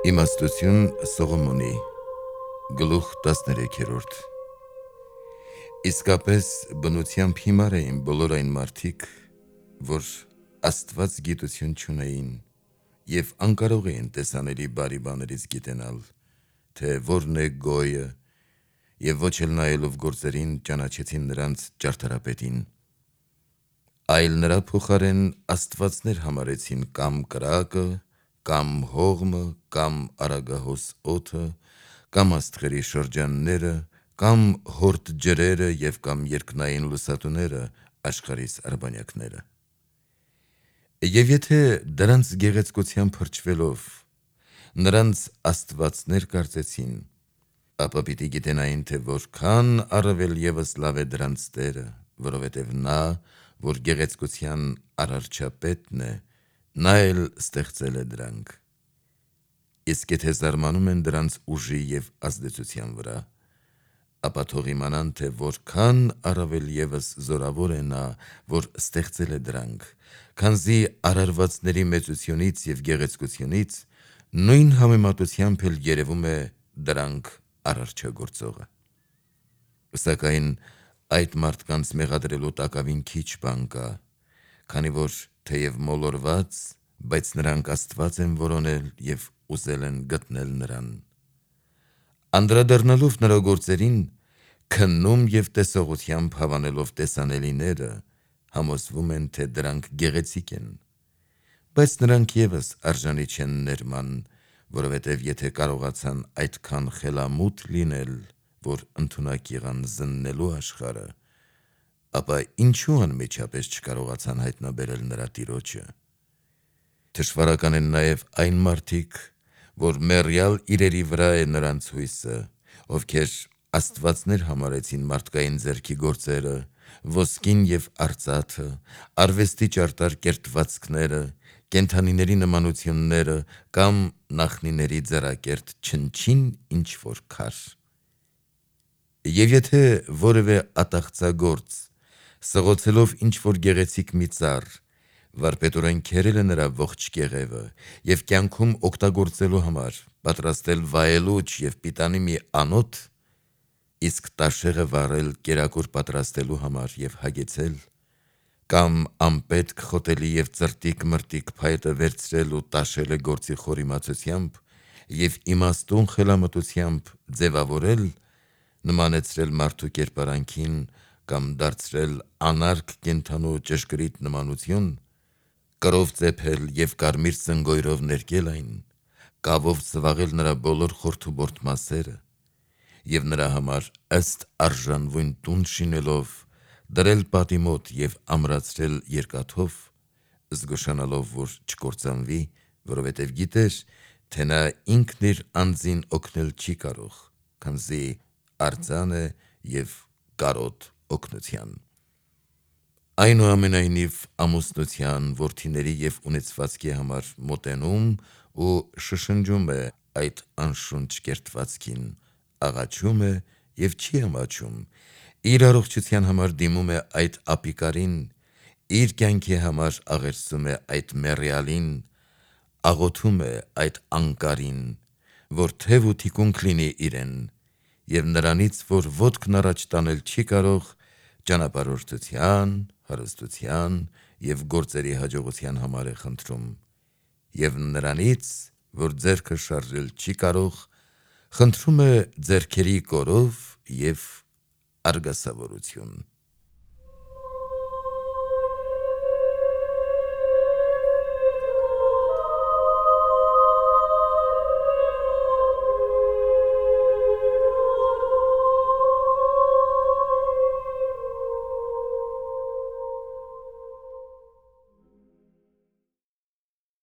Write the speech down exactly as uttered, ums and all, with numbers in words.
Իմաստություն Սողոմոնի գլուխ տասներեքերորդ Իսկապես բնությամբ հիմար էին բոլոր այն մարդիկ, որ Աստված գիտություն չունեին և անկարող էին տեսանելի բարի բաներից գիտենալ, թե որն է գոյը, և ոչ էլ նայելով գործերին ճանաչեցին նրանց ճարտարապետին, այլ նրա փոխարեն աստվածներ համարեցին կամ կրակը, կամ հողմը, կամ արագահոս օդը, կամ աստղերի շրջանները, կամ հորդ ջրերը և կամ երկնային լուսատուները, աշխարհիս արբանյակները: Եվ եթե դրանց գեղեցկության փրչվելով նրանց աստվածներ կարծեցին, ապա պիտի գիտենային, թե որքան առավել ևս լավ է դրանց Տերը, որովհետև նա, որ գեղեցկության արարչապետն է, նա էլ ստեղծել է դրանք: Իսկ եթե զարմանում են դրանց ուժի և ազդեցության վրա, ապա թող իմանան, թե որքան առավել ևս զորավոր է նա, որ ստեղծել է դրանք, քանզի արարվածների մեծությունից և գեղեցկությունից նույն համեմատությամբ էլ երևում է դրանք արարչագործողը: Սակայն այդ մարդկանց մեղադրելու տակավին քիչ բան կա, քանի որ թեև մոլորված, բայց նրանք Աստված են որոնել և ուզել են գտնել նրան: Անդրադառնալով նրա գործերին, քննում և տեսողությամբ հավանելով տեսանելիները, համոզվում են, թե դրանք գեղեցիկ են: Բայց նրանք ևս արժանի չեն ներման, որովհետև եթե կարողացան այդքան խելամուտ լինել, որ ընդունակ եղան զննելու աշխարհը, ապա ինչու անմիջապես չկարողացան հայտնաբերել նրա տիրոջը: Թշվառական են նաև այն մարդիկ, որ մեռյալ իրերի վրա է նրանց հույսը, ովքեր աստվածներ համարեցին մարդկային ձեռքի գործերը, ոսկին և արծաթը, արվեստի ճարտար կերտվածքները, կենդանիների նմանությունները կամ նախնիների ձեռակերտ չնչին ինչ-որ քար: Եվ եթե որևէ ատաղծագործ, սղոցելով ինչ-որ գեղեցիկ մի ծառ, վարպետորեն քերել է նրա ողջ կեղևը և կյանքում օգտագործելու համար պատրաստել վայելուչ և պիտանի մի անոթ, իսկ տաշեղը վառել կերակուր պատրաստելու համար և հագեցել, կամ անպետք խոտելի և ծրտիկ-մրտիկ փայտը վերցրել ու տաշել է գործի խորիմացությամբ և իմաստուն խելամտությամբ ձևավորել, նմանեցրել մարդու կերպարանքին կամ դարձրել անարգ կենդանու ճշգրիտ նմանություն, կրով ծեփել և կարմիր ծնգոյրով ներկել այն, կավով ծվաղել նրա բոլոր խորթուբորտ մասերը և նրա համար ըստ արժանվույն տուն շինելով դրել պատի մոտ և ամրացրել երկաթով, զգուշանալով, որ չկործանվի, որովհետև գիտեր, թե նա ինքն իր անձին օգնել չի կարող, քանզի արձան է և կարոտ օգնության: Այնուամենայնիվ ամուսնության, որդիների և ունեցվածքի համար մոտենում ու շշնջում է այդ անշունչ կերտվածքին, աղաչում է և չի ամաչում, իր առողջության համար դիմում է այդ ապիկարին, իր կյանքի համար աղերսում է այդ մեռյալին, աղոթում է այդ անկարին, որ թև ու թիկունք լինի իրեն և նրանից, որ ոտքն առաջ տանել չի կարող, ճանապարհորդության, հարստության և գործերի հաջողության համար է խնդրում և նրանից, որ ձեռքը շարժել չի կարող, խնդրում է ձեռքերի կորով և արգասավորություն: